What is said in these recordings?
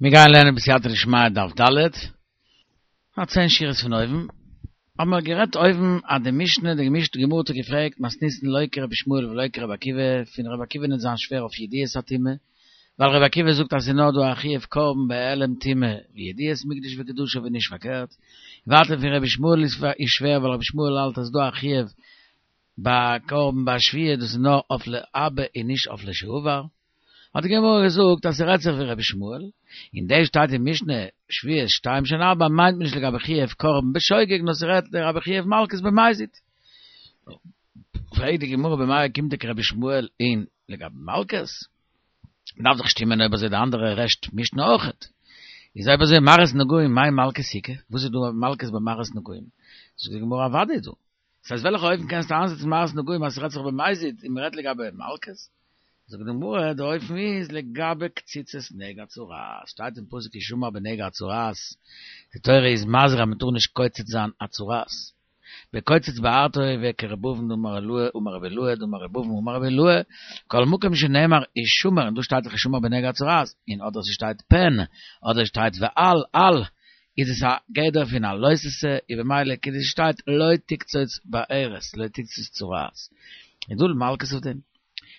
מיר גייען לערנען בסייעתא דשמיא דף ד', א צען שורות פון אויבן, האבן מיר גערעדט אויבן אז די משנה, די גמ' גמרא האט געפרעגט מתניתין לא כרבי ישמעאל ולא כרבי עקיבא, פון רבי עקיבא ניט זיין שווער אויף ידיעת הטומאה, ווייל רבי עקיבא זאגט אז ס'איז נאר דא א חיוב קרבן בהעלם טומאה וידיעת מקדש וקדשיו און נישט פארקערט, ווייטער פון רבי ישמעאל איז שווער ווייל רבי ישמעאל האלט אז ס'איז דא א חיוב ביי קרבן ביי שבועה דאס איז נאר אויף להבא און נישט אויף לשעבר. האט די גמרא געזאגט אז ס'רעדט זיך ווי רבי ישמעאל, און דאס שטייט אין משנה שבועת שתיים שהן ארבע מיינט מען נישט לגבי חיוב קרבן בשוגג נאר ס'רעדט לגבי חיוב מלקות במזיד. פרעגט די גמרא במאי אוקימתא כרבי ישמעאל אין לגבי מלקות? דארף דאך שטימען אויב אזוי די אנדערע רעשט משנה אויכעט. איז אויב אזוי מראות נגעים מאי מלקות איכא? וואס איז דא מלקות ביי מראות נגעים? זאגט די גמרא אוודאי איז דא. ס'הייסט וועלכע אופן קענסטו איינזעצן מראות נגעים אז ס'רעדט זיך במזיד און מ'רעדט לגבי מלקות? זאגט די גמרא די אופן איז לגבי קציצת נגע צרעת, שטייט אין פסוק השמר בנגע הצרעת, די תורה איז מזהיר אז מ'טאר נישט קוצץ זיין א צרעת, וקוצץ בארתו וכר' אבין דאמר עילאי אמר רבי אילעא דאמר ר' אבין אמר רבי אילעא, כל מקום שנאמר השמר און דא שטייט דאך השמר בנגע הצרעת, און אדער ס'שטייט פן אדער שטייט ואל אל איז עס א גדר פון א לא תעשה, און במילא כדי ס'שטייט לא תקצוץ בערת, לא תקצוץ צרעת. איז דא מלקות אויף דעם?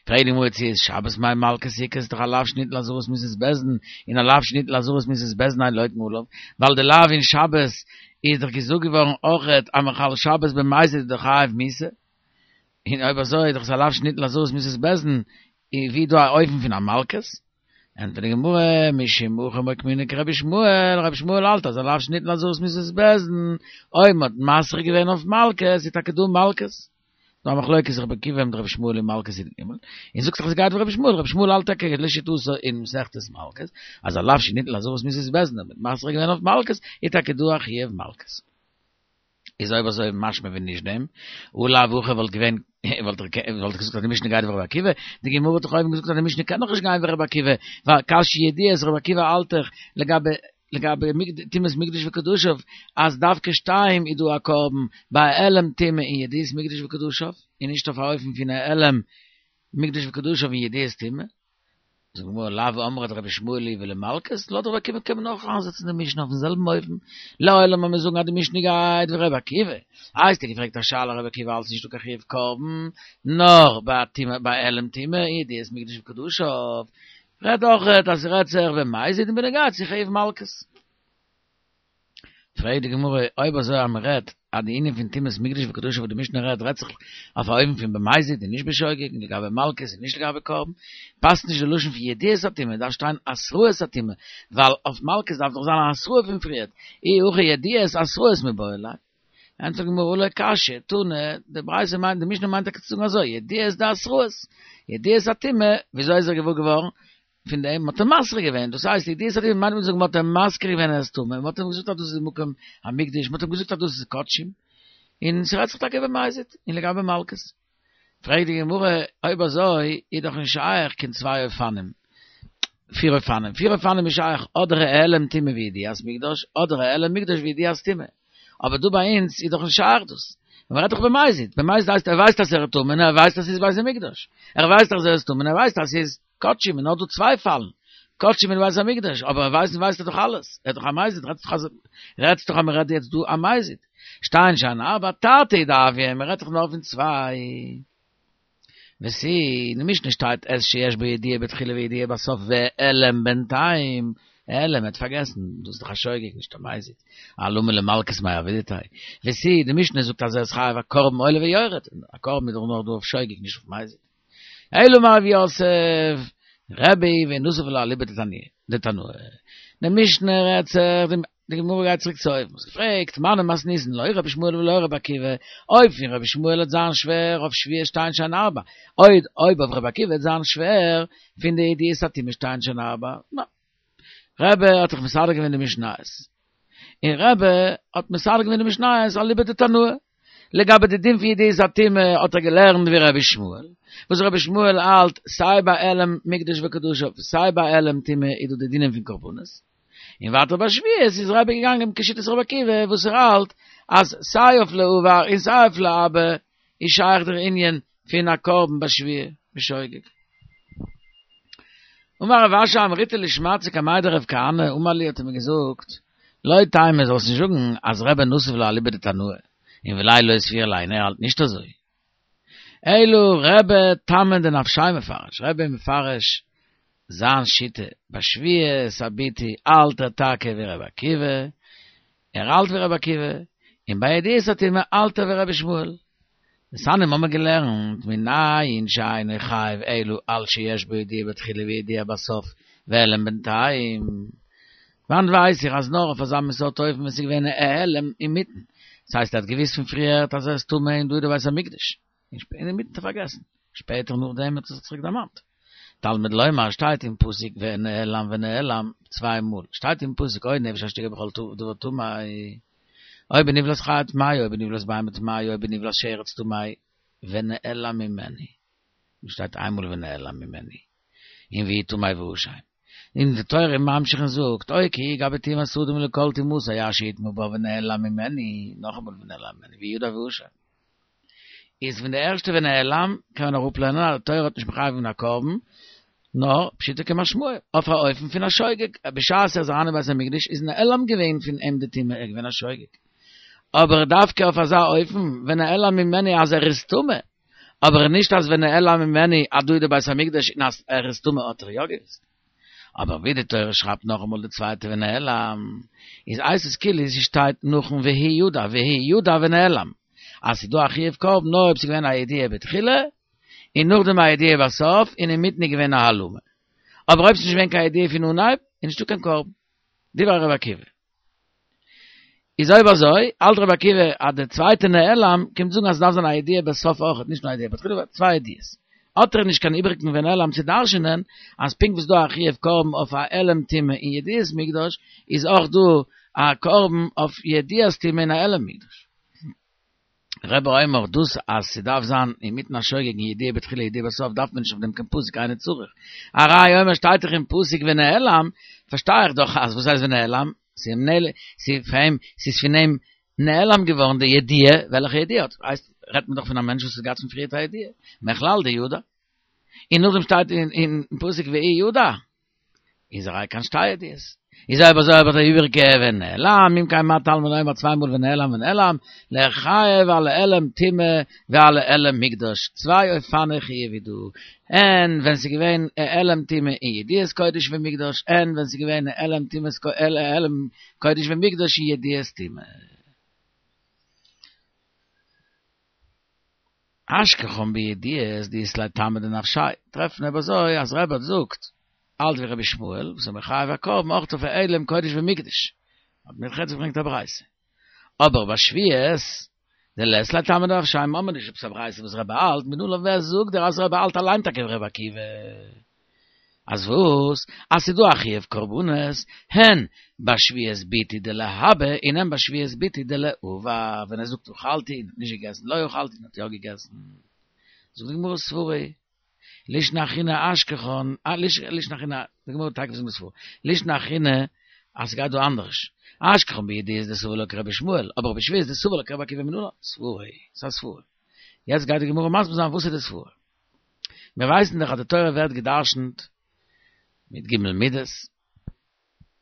פרעגט די גמרא צו איז שבת מאי מלקות איכא איז דאך א לאו שניתן לאזהרת מיתת בית דין, און א לאו שניתן לאזהרת מיתת בית דין אין לוקין עליו, ווייל די לאו אין שבת איז דאך געזאגט געווארן אויכעט אז מחלל שבת במזיד איז דאך חייב מיתה, און אויב אזוי איז דאך עס א לאו שניתן לאזהרת מיתת בית דין, איז ווי דא א אופן פון א מלקות? ענטפערט די גמרא, משום הכי מוקמינן כרבי ישמעאל, רבי ישמעאל האלט אז א לאו שניתן לאזהרת מיתת בית דין, אויב מ'האט מתרה געווען אויף מלקות איז טאקע דא מלקות. דא א מחלוקת רבי עקיבא מיט רבי ישמעאל אין מלקות י"ג, און זאגט זיך עס גייט ווי רבי ישמעאל, רבי ישמעאל האלט טאקע לשיטתו אין מסכת מלקות, אז א לאו שניתן לאזהרת מיתת בית דין אויב מ'האט מתרה געווען אויף מלקות איז טאקע דא א חיוב מלקות. איז אויב אזוי משמע ווען נישט דעם, אי לאו הכי וואלט געווען, וואלט איך געזאגט אז די משנה גייט ווי רבי עקיבא, די גמרא האט דאך אויבן געזאגט אז די משנה קען דאך נישט גיין ווי רבי עקיבא, ווייל קשיא ידיעות רבי עקיבא האלט דאך לגבי לגבי טומאת מקדש וקדשיו אז דווקא שתיים איז דא א קרבן ביי העלם טומאה און ידיעת מקדש וקדשיו, און נישט אויף א אופן פון העלם מקדש וקדשיו און ידיעת טומאה. זאגט די גמרא לאו אמרת רבי ישמעאל היא ולמלקות, לויט רבי עקיבא קען מען אויך איינזעצן די משנה אויפן זעלבן אופן, לעולם ווען מיר זאגן אז די משנה גייט ווי רבי עקיבא, איי האסטו געפרעגט א שאלה רבי עקיבא האלט ס'נישט דא קיין חיוב קרבן נאר ביי טומאה ביי העלם טומאה ידיעת מקדש וקדשיו, רעדט אויך אז ס'רעדט זיך במזיד און בנוגע צו חיוב מלקות. פרעגט די גמרא, אויב אזוי אז מען רעדט אז די ענין פון טומאת מקדש וקדשיו וואס די משנה רעדט רעדט זיך אויף א אופן פון במזיד און נישט בשוגג און לגבי מלקות און נישט לגבי קרבן, פאסט נישט די לשון פון ידיעת הטומאה, דארף שטיין התראת הטומאה, ווייל אויף מלקות דארף דאך זיין א התראה פון פריערט, אי הכי ידיעת התראות מיבעי ליה. ענטפערט די גמרא הא לא קשיא, תנא, די ברייתא מיינט, די משנה מיינט טאקע צו זאגן אזוי, ידיעת דהתראות, ידיעת הטומאה, וויאזוי איז ער געוואר געווארן? פון דעם מ'האט אים מתרה געווען, דאס הייסט ידיעת הטומאה מיינט מען זאגן מ'האט אים מזכיר געווען אז ער איז טמא, מ'האט אים געזאגט אז דאס איז מקום המקדש, מ'האט אים געזאגט אז דאס איז קדשים, און ס'רעדט זיך טאקע במזיד, און לגבי מלקות. פרעגט די גמרא, אויב אזוי איז דאך נישט שייך קיין צוויי אופנים, פיר אופנים, פיר אופנים איז שייך אדער העלם טומאה וידיעת מקדש, אדער העלם מקדש וידיעת טומאה. אבער דא ביי אונז איז דאך נישט שייך דאס. מען רעדט דאך במזיד, במזיד הייסט ער ווייסט אז ער איז טמא און ער ווייסט אז ס'איז בית המקדש. ער ווייסט אז ער איז טמא און ער ווייסט אז ס'איז קדשים און נאר דא צוויי פאלן, קדשים און בית המקדש, אבער ווייסן ווייסט ער דאך אלעס, ער איז דאך א מזיד, רעדסט דאך אז רעדסט דאך אז מען רעדט יעצט דא א מזיד. שתיים שהן ארבע תרתי דהויא, מען רעדט דאך נאר פון צוויי. ותו, אין די משנה שטייט את שיש בו ידיעה בתחילה וידיעה בסוף והעלם בינתיים, העלם, ער האט פארגעסן, דאס איז דאך א שוגג נישט א מזיד, אלמה למלקות מאי עבידתיה, ותו, די משנה זאגט אז ער איז חייב א קרבן עולה ויורד, א קרבן איז דאך נאר דא אויף שוגג נישט אויף מזיד. אלא אמר רב יוסף, רבי ונסיב לה אליבא דתנאי. די משנה רעדט זיך, די גמרא גייט צוריק צו אויבן, האסט געפרעגט, מני מתניתין לא רבי ישמעאל ולא רבי עקיבא, אויב פון רבי ישמעאל וועט זיין שווער אויף שבועה שתיים שהן ארבע, אויב אויב אויף רבי עקיבא וועט זיין שווער פון די ידיעת הטומאה שתיים שהן ארבע, נא. רבי האט דאך מסדר געווען די משניות. און רבי האט מסדר געווען די משניות אליבא דתנאי. לגבי די דין פון ידיעת הטומאה האט ער געלערנט ווי רבי ישמעאל, וואס רבי ישמעאל האלט סיי ביי העלם מקדש וקדשיו סיי ביי העלם טומאה איז דא די דינים פון קרבנות, און ווייטער ביי שבועות איז רבי געגאנגען כשיטת רבי עקיבא וואס ער האלט אז סיי אויף לעבר און סיי אויף להבא איז שייך דער ענין פון א קרבן ביי שבועה בשוגג. אמר רב אשי אמריתה לשמעתתא קמיה דרב כהנא, אמר לי האט ער מיר געזאגט, לא תימא זאלסט נישט זאגן אז רבי נסיב לה אליבא דתנאי, און ואולי לא סבירא ליה ער האלט נישט אזוי. אלא רבי טעמא דנפשיה מפרש, רבי מפרש זיין שיטה בשבועת הביטוי האלט ער טאקע ווי רבי עקיבא, ער האלט ווי רבי עקיבא, און ביי ידיעת הטומאה האלט ער ווי רבי ישמעאל. דתניא האמיר געלערנט מנין שאינו חייב אלא על שיש בו ידיעה בתחילה וידיעה בסוף והעלם בינתיים. וואנעט ווייס איך אז נאר אויף אזא מין סארט אופן ווען ס'איז געווען א העלם אינמיטן, דאס הייסט ער האט געוויסט פון פריערט אז ער איז טמא און דא איז די בית המקדש, און אינמיטן האט ער פארגעסן, שפעטער נאכדעם האט ער זיך צוריק דערמאנט. תלמוד לומר שטייט אין פסוק ונעלם ונעלם צוויי מאל, שטייט אין פסוק או נפש אשר תגע בכל דבר טמא, או בנבלת חיה טמאה או בנבלת בהמה טמאה או בנבלת שרץ טמא, ונעלם ממנו, דא שטייט איינמאל ונעלם ממנו, און והוא טמא ואשם. און די תורה ממשיך און זאגט, או כי יגע בטומאת אדם לכל טומאתו אשר יטמא בה ונעלם ממנו, נאכאמאל ונעלם ממנו, וידע ואשם. איז פון די ערשטע ונעלם קען מען אראפלערנען אז די תורה האט נישט מחייב געווען א קרבן, נאר פשוטו כמשמעו, אויף א אופן פון א שוגג, בשעת ער איז אריין אין בית המקדש איז נעלם געווען פון אים די טומאה, ער איז געווען א שוגג. אבער דווקא אויף אזא אופן, ונעלם ממנו אז ער איז טמא, אבער נישט אז ונעלם ממנו אז דא איז די בית המקדש און אז ער איז טמא האט ער יא געוואוסט. אבער ווי די תורה שרייבט נאכאמאל די צווייטע ונעלם, איז הייסט עס כאילו ס'שטייט נאכן והוא ידע והוא ידע ונעלם, אז ס'איז דא א חיוב קרבן נאר אויב ס'איז געווען א ידיעה בתחילה, און נאכדעם א ידיעה בסוף, און אינמיטן איז געווען א העלמה. אבער אויב ס'איז נישט געווען קיין ידיעה פון אנהייב, איז נישטא קיין קרבן. דברי רבי עקיבא. איז אויב אזוי, האלט רבי עקיבא אז די צווייטע נעלם קומט זאגן אז עס דארף זיין א ידיעה בסוף אויכעט, נישט נאר א ידיעה בתחילה, נאר צוויי ידיעות. האט ער נישט קיין איבעריגן ונעלם צו דרש'נען אז פונקט ווי ס'איז דא א חיוב קרבן אויף א העלם טומאה אין ידיעת מקדש, איז אויך דא א קרבן אויף ידיעת טומאה אין א העלם מקדש. רבי אומר דאס אז ס'דארף זיין אינמיטן א שוגג און ידיעה בתחילה ידיעה בסוף דארף מען נישט אויף דעם קיין פסוק אינו צריך הראיה אומר שטייט דאך אין פסוק ונעלם פארשטיי איך דאך אז וואס הייסט ונעלם ס'איז פאר אים ס'איז פון אים נעלם געווארן די ידיעה וועלכע ידיעה האט הייסט רעדט מען דאך פון א מענטש וואס האט געהאט פון פריערט א ידיעה מכלל דידע און נאכדעם שטייט אין פסוק והוא ידע איז א ראיה קיין שתי ידיעות. איז אויב אזוי האב איך די איבעריגע ונעלם, אם כן מה תלמוד לומר צוויי מאל ונעלם ונעלם, לחייב על העלם טומאה ועל העלם מקדש, צוויי אופני חיוב איז דא, הן ווען ס'איז געווען העלם טומאה אין ידיעת קודש ומקדש, הן ווען ס'איז געווען העלם טומאת העלם קודש ומקדש אין ידיעת טומאה. אשכחן בידיעות דאית ליה טעמא דנפשיה, טרעפן אויב אזוי אז רבי האט זאגט האלט ווי רבי ישמעאל וואס איז מחייב א קרבן אויך אויף העלם קודש ומקדש, האט מיר יעצט געברענגט א ברייתא. אבער ביי שבועות דלית ליה טעמא דנפשיה האמיר נישט עפעס א ברייתא וואס רבי האלט, מנלן ווער זאגט דיר אז רבי האלט אליין טאקע ווי רבי עקיבא? אז וואס? אז ס'איז דא א חיוב קרבנות, הן בשבועת ביטוי דלהבא און הן בשבועת ביטוי דלעבר, ווען ער זאגט אכלתי און האט נישט געגעסן, לא אכלתי און האט יא געגעסן. זאגט די גמרא סברא, לישנא אחרינא אשכחן, לישנא אחרינא, די גמרא טאקע זאגט סברא, לישנא אחרינא אז ס'גייט דא אנדערש, אשכחן בידיעות דסבר לה כרבי ישמעאל, אבער בשבועות דסבר לה כרבי עקיבא מנלן, סברא, ס'איז א סברא. יעצט גייט די גמרא מסביר זיין וואס איז די סברא. מיר ווייסן דאך אז די תורה ווערט גע'דרש'נט מיט ג' מידות,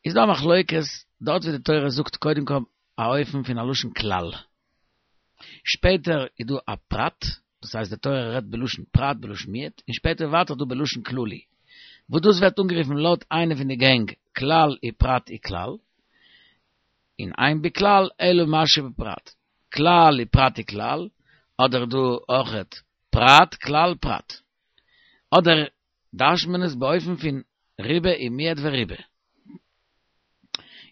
איז דא א מחלוקת דארט ווי די תורה זאגט קודם כל א אופן פון א לשון כלל, שפעטער איז דא א פרט, דאס הייסט די תורה רעדט בלשון פרט בלשון מיעוט, און שפעטער ווייטער דא בלשון כללי, וואס דאס ווערט אנגערופן לויט איינע פון די גענג כלל ופרט וכלל, און אין בכלל אלא מה שבפרט, כלל ופרט וכלל, אדער דא אויכעט פרט כלל פרט. אדער דרש'נט מען עס באופן פון ריבה ומיעט וריבה.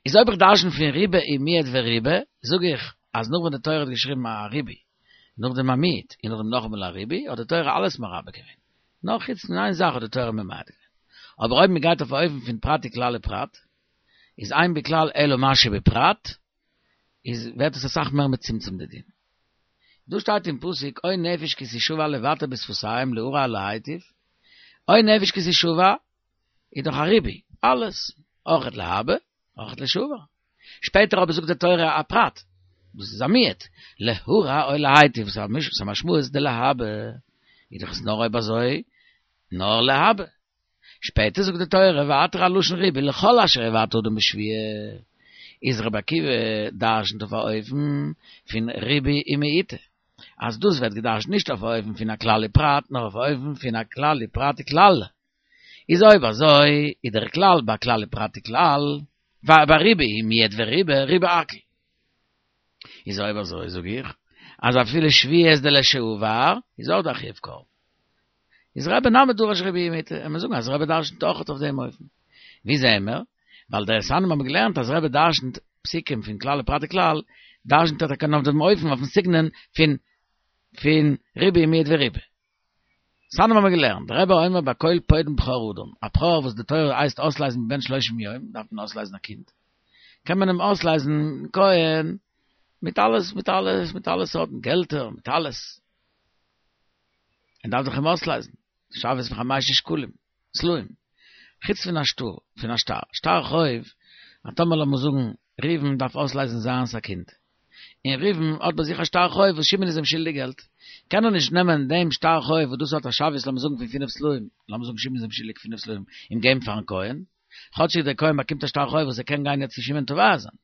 איז אויב איך דרש'ן פון ריבה ומיעט וריבה, זאג איך אז נאך ווען די תורה האט געשריבן א ריבוי, נאכדעם א מיעוט, און נאכדעם נאכאמאל א ריבוי, האט די תורה אלעס מרבה געווען. נאר חוץ פון איין זאך האט די תורה ממעט געווען. אבער אויב מען גייט אויף א אופן פון פרט וכלל ופרט, איז אין בכלל אלא מה שבפרט, איז ווערט עס אסאך מער מצומצם די דין. דא שטייט אין פסוק או נפש כי תשבע לבטא בשפתים להרע או להיטיב, או נפש כי תשבע איז דאך א ריבוי, אלעס, אויכעט להבא, אויכעט לשבע. שפעטער אבער זאגט די תורה א פרט, דאס איז א מיעוט, להרע או להיטיב, וואס איז א משמעות דלהבא, איז דאך עס נאר אויב אזוי נאר להבא. שפעטער זאגט די תורה ווייטער א לשון ריבוי לכל אשר יבעט אדם בשבועה, איז רבי עקיבא דרשנ'ט אויף א אופן פון ריבוי ומיעוטא, אז דאס ווערט געדרשנ'ט נישט אויף א אופן פון א כלל ופרט נאר אויף א אופן פון א כלל ופרט וכלל. איז אויב אזוי איז דער כלל ביי כלל ופרט וכלל, ביי ריבוי ומיעט וריבה ריבה הכל. איז אויב אזוי זאג איך אז אפילו שבועות דלשעבר איז אויך דא א חיוב קרבן. איז רבי נמי דרש ריבוי ומיעוטא, און מיר זאגן אז רבי דרשנ'ט אויך אויף דעם אופן. ווי זעען מיר? ווייל דתניא האבן געלערנט אז רבי דרשנ'ט פסוקים פון כלל ופרט וכלל, דרשנ'ט ער טאקע אויף דעם אופן אויפן סגנון פון פון ריבוי ומיעט וריבה. דתניא האבן מיר געלערנט, רבי אומר בכל פודין בכור אדם, א בכור וואס די תורה הייסט אויסלייזן מבן שלושים יום, דארף מען אויסלייזן א קינד, קען מען אים אויסלייזן כהן מיט אלעס מיט אלעס מיט אלע סארטן געלטער מיט אלעס, ער דארף דאך אים אויסלייזן, שוויות פון חמשת שקלים, סלעים, חוץ פון א שטר, פון א שטר, שטר חוב, א טאמער לאמיר זאגן ראובן דארף אויסלייזן זיינס א קינד, און ראובן האט ביי זיך א שטר חוב וואס שמעון איז אים שולדיג געלט, קען ער נישט נעמען דעם שטר חוב וואס דאס האט א שוויות לאמיר זאגן פון פינף סלעים, לאמיר זאגן שמעון איז אים שולדיג פינף סלעים, אים געבן פארן כהן, כאטשיג דער כהן באקומט א שטר חוב וואס ער קען גיין יעצט צו שמעון תובע זיין,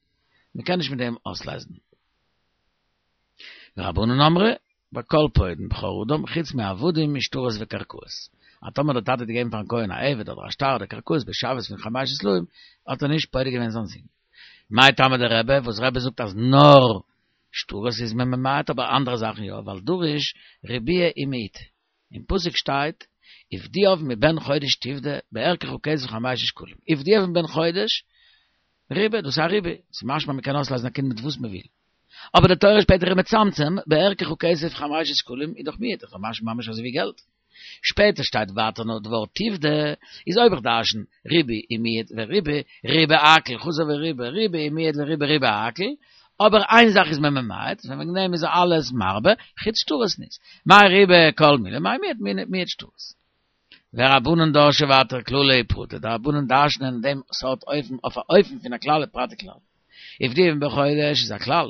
מען קען נישט מיט דעם אויסלייזן. ורבנן אמרי, בכל פודין בכור אדם, חוץ מעבדים ושטרות וקרקעות. אז טאמער דער טאטע האט געגעבן פארן כהן א עבד אדער א שטר אדער קרקעות בשוויות פון חמשת סלעים, האט ער נישט פודה געווען זיין זון. מאי טעמא דרבי, וואס רבי זאגט אז נאר שטרות איז מען ממעט אבער אנדערע זאכן יא, ווייל דריש ריבויי ומיעוטא. אין פסוק שטייט, ופדויו מבן חודש תפדה בערכך כסף חמשת שקלים. ופדויו מבן חודש, ריבה, דאס איז א ריבוי, ס'איז משמע מ'קען אויסלייזן א קינד מיט וואס מ'וויל. אבער די תורה שפעטער איז מצמצם, בערכך כסף חמשת שקלים איז דאך מיעוט, איז דאך משמע ממש אזוי ווי געלט. שפעטער שטייט ווייטער נאר די ווארט תפדה, איז אויב איך דרשן ריבוי ומיעוט וריבה, ריבה הכל, חזר וריבה, ריבוי ומיעט וריבה ריבה הכל, אבער איין זאך איז מען ממעט, ווען וועגן דעם איז אלעס מרבה, חוץ שטרות נישט. מאי ריבה כל מילי, מאי מיעט מיעט שטרות. ורבנן דרשי ווייטער כללי ופרטי, די רבנן דרש'נען דעם סארט אופן אויף א אופן פון א כלל ופרט וכלל. ופדויו מבן חודש איז א כלל.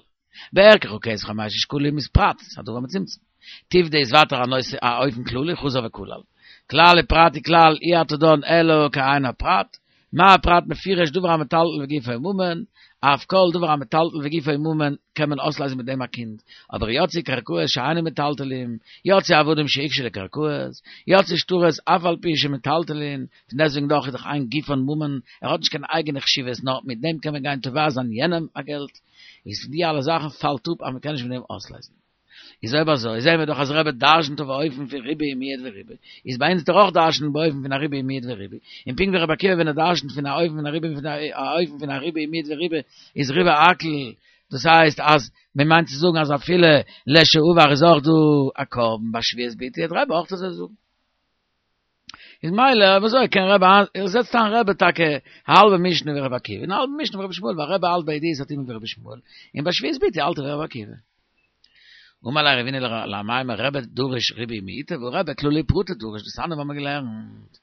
בערכך כסף חמשת שקלים איז פרט, ס'איז א דבר מצומצם. תפדה איז ווייטער א נושא א אופן כללי, חזר וכלל. כלל ופרט וכלל אי אתה דן אלא כעין הפרט, מה הפרט מפורש דבר המטלטל וגופו ממון, אף כל דבר המטלטל וגופו ממון קען מען אויסלייזן מיט דעם א קינד, אבער יצאו קרקעות שאינן מטלטלין, יצאו עבדים שהוקשו לקרקעות, יצאו שטרות אף על פי שמטלטלין, פון דעסטוועגן דאך איז דאך אין גופן ממון, ער האט נישט קיין אייגענע חשיבות נאר מיט דעם קען מען גיין תובע זיין יענעם א געלט, איז פון די אלע זאכן פאלט אפ אז מען קען נישט מיט דעם אויסלייזן. איז אויב אזוי זעהן מיר דאך אז רבי דרשנ'ט אויף א אופן פון ריבוי ומיעוט וריבה, איז ביי אונז דאך אויך דרשנ'ט באופן פון א ריבוי ומיעוט וריבה, און פונקט ווי רבי עקיבא ווען ער דרשנ'ט פון א אופן פון א ריבוי פון א אופן פון א ריבוי ומיעוט וריבה איז ריבה הכל, דאס הייסט אז מען מיינט צו זאגן אז אפילו לשעבר איז אויך דא א קרבן ביי שבועת ביטוי וועט רבי אויך אזוי זאגן. איז מילא אויב אזוי קען רבי ער זעצט איין רבי טאקע א האלבע משנה ווי רבי עקיבא און א האלבע משנה ווי רבי ישמעאל ווייל רבי האלט ביי ידיעות סתימין ווי רבי ישמעאל און ביי שבועת ביטוי האלט ער ווי רבי עקיבא. אמר ליה רבינא לאמימר רבי דריש ריבויי ומיעוטי והא רבי כללי ופרטי דריש דתניא האבן מיר געלערנט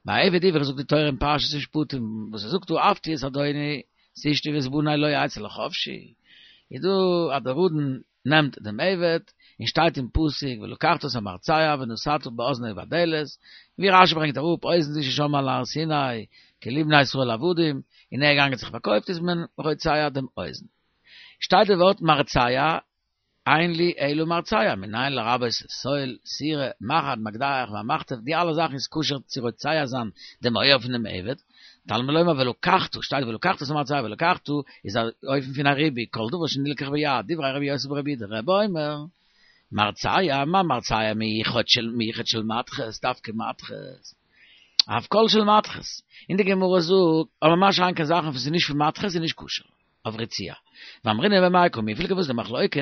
ביי עבד עברי זאגט די תורה אין פרשת משפטים וואס ער זאגט אהבתי את אדוני את אשתי ואת בני לא אצא לחפשי איז דא אז דער אדון נעמט דעם עבד, און שטייט אין פסוק ולקחת את המרצע ונתתה באזנו בדלת, ווי רשי ברענגט אראפ אוזן זו ששמעה על הר סיני כי לי בני ישראל עבדים, און ער איז געגאנגען זיך פארקויפט איז מען רוצע דעם אוזן. שטייט די ווארט מרצע, אין לי אלא מרצע, מנין לרבות סול, סירה, מחט, מקדח, והמחטף, די אלע זאכן איז כשר צו רוצע זיין דעם אויער פון דעם עבד, תלמוד לומר ולקחת, שטייט ולקחת את המרצע ולקחת איז א אופן פון א ריבוי, כל דבר שנלקח ביד, דברי רבי יוסי ברבי יהודה, רבי אומר, מרצע, מה מרצע מיוחד של מיוחד של מתכת, דווקא מתכת, אף כל של מתכת, און די גמרא זאגט, אבער מה שאין כן זאכן וואס איז נישט פון מתכת איז נישט כשר. אויף רציעה. ואמרינן במאי קמיפלגי וואס די מחלוקת,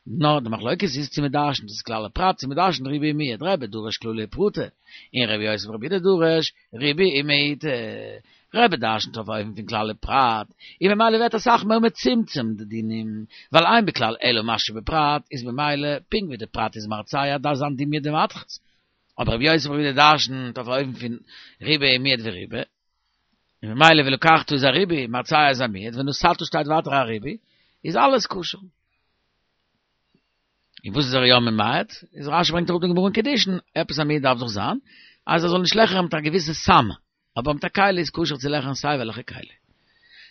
נאר די מחלוקת איז צו מ'דרשנ'ט דאס כלל ופרט צו מ'דרשנ'ט ריבוי ומיעוט, רבי דריש כללי ופרטי, און רבי יוסי ברבי יהודה דריש ריבוי ומיעוטי. רבי דרשנ'ט אויף א אופן פון כלל ופרט, און ממילא ווערט אסאך מער מצומצם די דינים, ווייל אין בכלל אלא מה שבפרט איז ממילא פונקט ווי די פרט איז מרצע דארף זיין דומיא דמתכת. אבער רבי יוסי ברבי יהודה דרשנ'ט אויף א אופן פון ריבוי ומיעוט וריבה, און ממילא ולקחת איז א ריבוי, מרצע איז א מיעוט, ונתתה שטייט ווייטער א ריבוי, איז אלעס כשר. און וואס איז ער יא ממעט? איז רשי ברענגט אראפ די גמרא אין קידושין, עפעס א מיעוט דארף דאך זיין, אז ער זאל נישט לעכערן מיט א געוויסע סם. אבער מיט א כלי איז כשר צו לעכערן סיי וועלכע כלי.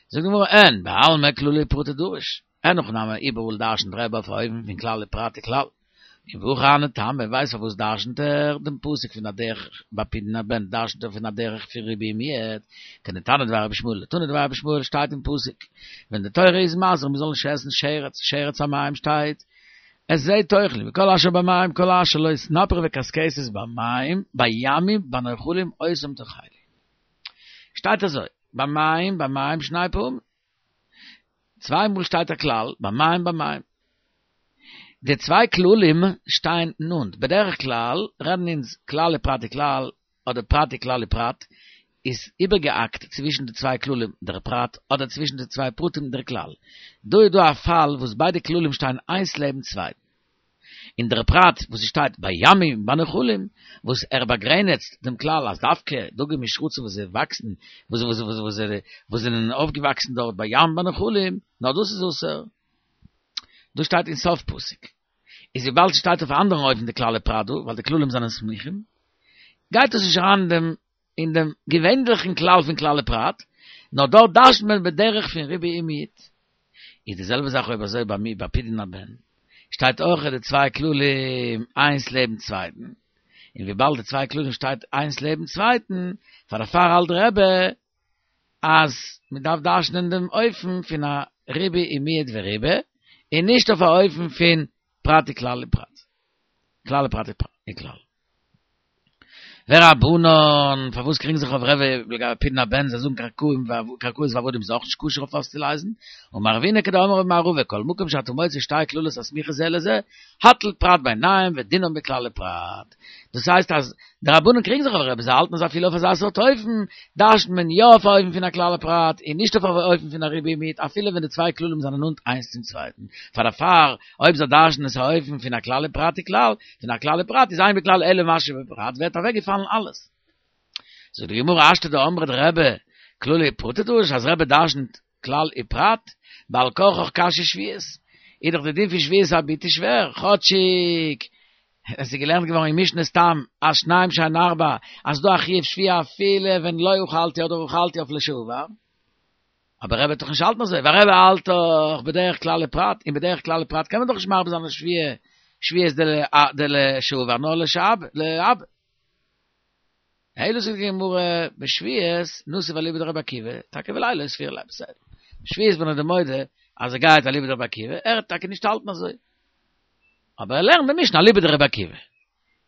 זאגט די גמרא אין, בעלמא כללי ופרטי דריש. אין הכי נמי איבעראל דרשנ'ט רבי אויף א אופן פון כלל ופרט וכלל. און והכי הני טעמא, ווייסט פארוואס דרשנ'ט ער דעם פסוק פון א דרך ביי פדיון הבן דרשנ'ט ער פון א דרך פון ריבוי ומיעוט, כדתנא דבי רבי ישמעאל, תנא דבי רבי ישמעאל שטייט אין פסוק ווען די תורה איז מזהיר מ'זאל נישט עסן שרץ, שרץ המים שטייט את זה תאכלו וכל אשר במים כל אשר לו סנפיר וקשקשת במים בימים בנחלים אותם תאכלו שטייט אזוי במים במים שני פעמים צוויי מאל שטייט א כלל במים במים. די צוויי כללים שטייען נאנט, בדרך כלל רעדן אונז כלל ופרט וכלל אדער פרט וכלל ופרט, איז איבערגעהאקט צווישן די צוויי כללים דער פרט אדער צווישן די צוויי פרטים דער כלל. דא איז דא א פאל וואס ביידע כללים שטייען איינס לעבן צווייטן. און דער פרט וואס עס שטייט בימים בנחלים וואס ער באגרעניצט דעם כלל אז דווקא דגים ושרצים וואס זיי וואקסן וואס וואס וואס וואס זענען אויפגעוואקסן דארט בים בנחלים נאר דאס איז אסור. דאס שטייט אין סוף פסוק. איז וויבאלד ס'שטייט אויף א אנדערן אופן די כלל ופרט דא, ווייל די כללים זענען סמוכים, גייט עס נישט אריין אין דעם אין דעם געווענליכן כלל פון כלל ופרט, נאר דארט דרש'נט מען בדרך פון ריבוי ומיעוט. איז די זעלבע זאך אויב אזוי ביי מיר ביי פדיון הבן, שטייט אויך די צוויי כללים איינס לעבן צווייטן, און וויבאלד די צוויי כללים שטייט איינס לעבן צווייטן, פאר דערפאר האלט רבי אז מען דארף דרש'נען דעם אופן פון א ריבוי ומיעוט וריבה, און נישט אויף א אופן פון פרט וכלל ופרט. כלל ופרט וכלל. ורבנן, פארוואס קריגן זיך אויף רבי לגבי פדיון הבן, זיי זאגן קרקעים קרקעות ועבדים איז אויך נישט כשר אויף אויסצולייזן, אמר רבינא כדאמרי במערבא, כל מקום שאתה מוצא שתי כללות הסמוכות זה לזה, הטל פרט ביניהם ודינם בכלל ופרט. דאס הייסט אז די רבנן קריגן זיך אויף רבי, זיי האלטן אז אפילו אויף אזא סארט אופן דרש'נט מען יא אויף א אופן פון א כלל ופרט און נישט אויף א אופן פון א ריבוי ומיעוט אפילו ווען די צוויי כללים זענען נאנט איינס צום צווייטן. פאר דערפאר אויב זיי דרש'נען עס א אופן פון א כלל ופרט וכלל, פון א כלל ופרט איז אין בכלל אלא מה שבפרט ווערט אוועקגעפאלן אלעס. זאגט די גמרא השתא דאמרת רבי כללי ופרטי דריש אז רבי דרש'נט כלל ופרט, בעל כרחך קשיא שביעית, איז דאך די דין פון שביעת הביתי שווער, כאטשיג עס איז געלערנט געווארן אין משנה סתם אז שניים שהן ארבע אז ס'דא א חיוב שביעה אפילו ווען לא אכלתי אדער אכלתי אויף לשעבר, אבער רבי וועט דאך נישט האלטן אזוי, ווייל רבי האלט דאך בדרך כלל ופרט, און בדרך כלל ופרט קען מען דאך נישט מרבה זיין אויף שביעה, שביעות דלשעבר נאר להבא. אלא זאגט די גמרא, בשביעית נסיב אליבא דרבי עקיבא, טאקע ולילה לא סבירא ליה בסדר. בשביעית בין איך דיר מודה אז ער גייט אליבא דרבי עקיבא, ער וועט טאקע נישט האלטן אזוי. אבער ער לערנט די משנה אליבא דרבי עקיבא.